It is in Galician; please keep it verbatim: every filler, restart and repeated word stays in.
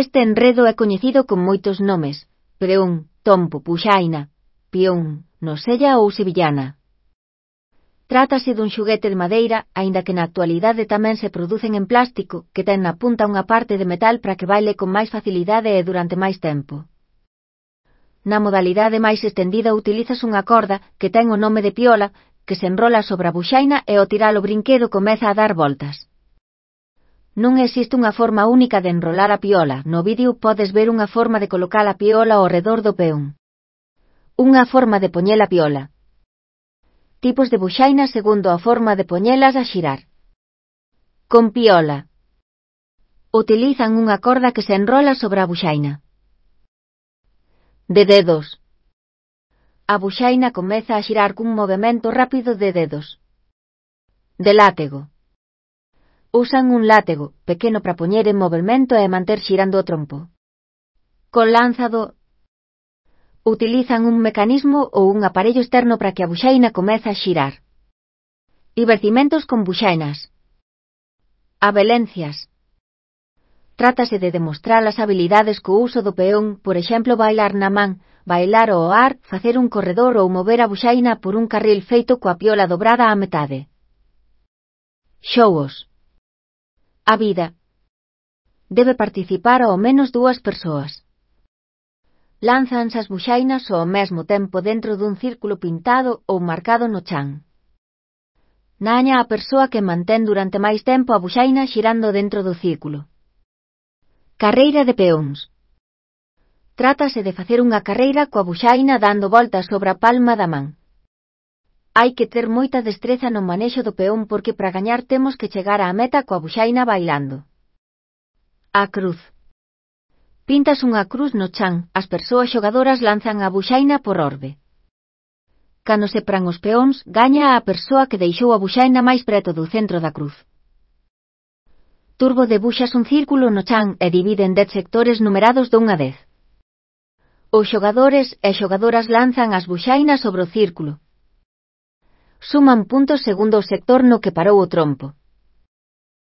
Este enredo é coñecido con moitos nomes: preón, tompo, buxaina, pión, nosella ou sevillana. Trátase dun xoguete de madeira, aínda que na actualidade tamén se producen en plástico, que ten na punta unha parte de metal para que baile con máis facilidade e durante máis tempo. Na modalidade máis estendida utilizas unha corda, que ten o nome de piola, que se enrola sobre a buxaina e ao tirar o brinquedo comeza a dar voltas. Non existe unha forma única de enrolar a piola. No vídeo podes ver unha forma de colocar a piola ao redor do peón. Unha forma de poñer a piola. Tipos de buxaina segundo a forma de poñelas a xirar. Con piola. Utilizan unha corda que se enrola sobre a buxaina. De dedos. A buxaina comeza a xirar cun movemento rápido de dedos. De látego. Usan un látego pequeno para poñer en movemento e manter xirando o trompo. Con lanzado. Utilizan un mecanismo ou un aparello externo para que a buxaina comece a xirar. Divertimentos con buxainas. Abelencias. Trátase de demostrar as habilidades co uso do peón, por exemplo bailar na man, bailar ao ar, facer un corredor ou mover a buxaina por un carril feito coa piola dobrada á metade. Xogos. A vida. Debe participar ao menos dúas persoas. Lánzanse as buxainas ao mesmo tempo dentro dun círculo pintado ou marcado no chan. Gaña a persoa que mantén durante máis tempo a buxaina xirando dentro do círculo. Carreira de peóns. Trátase de facer unha carreira coa buxaina dando voltas sobre a palma da man. Hai que ter moita destreza no manexo do peón porque para gañar temos que chegar á meta coa buxaina bailando. A cruz. Pintas unha cruz no chan, as persoas xogadoras lanzan a buxaina por orbe. Cando se pran os peóns, gaña a persoa que deixou a buxaina máis preto do centro da cruz. Turbo debuxas un círculo no chan e divide en dez sectores numerados dunha vez. Os xogadores e xogadoras lanzan as buxainas sobre o círculo. Suman puntos segundo o sector no que parou o trompo.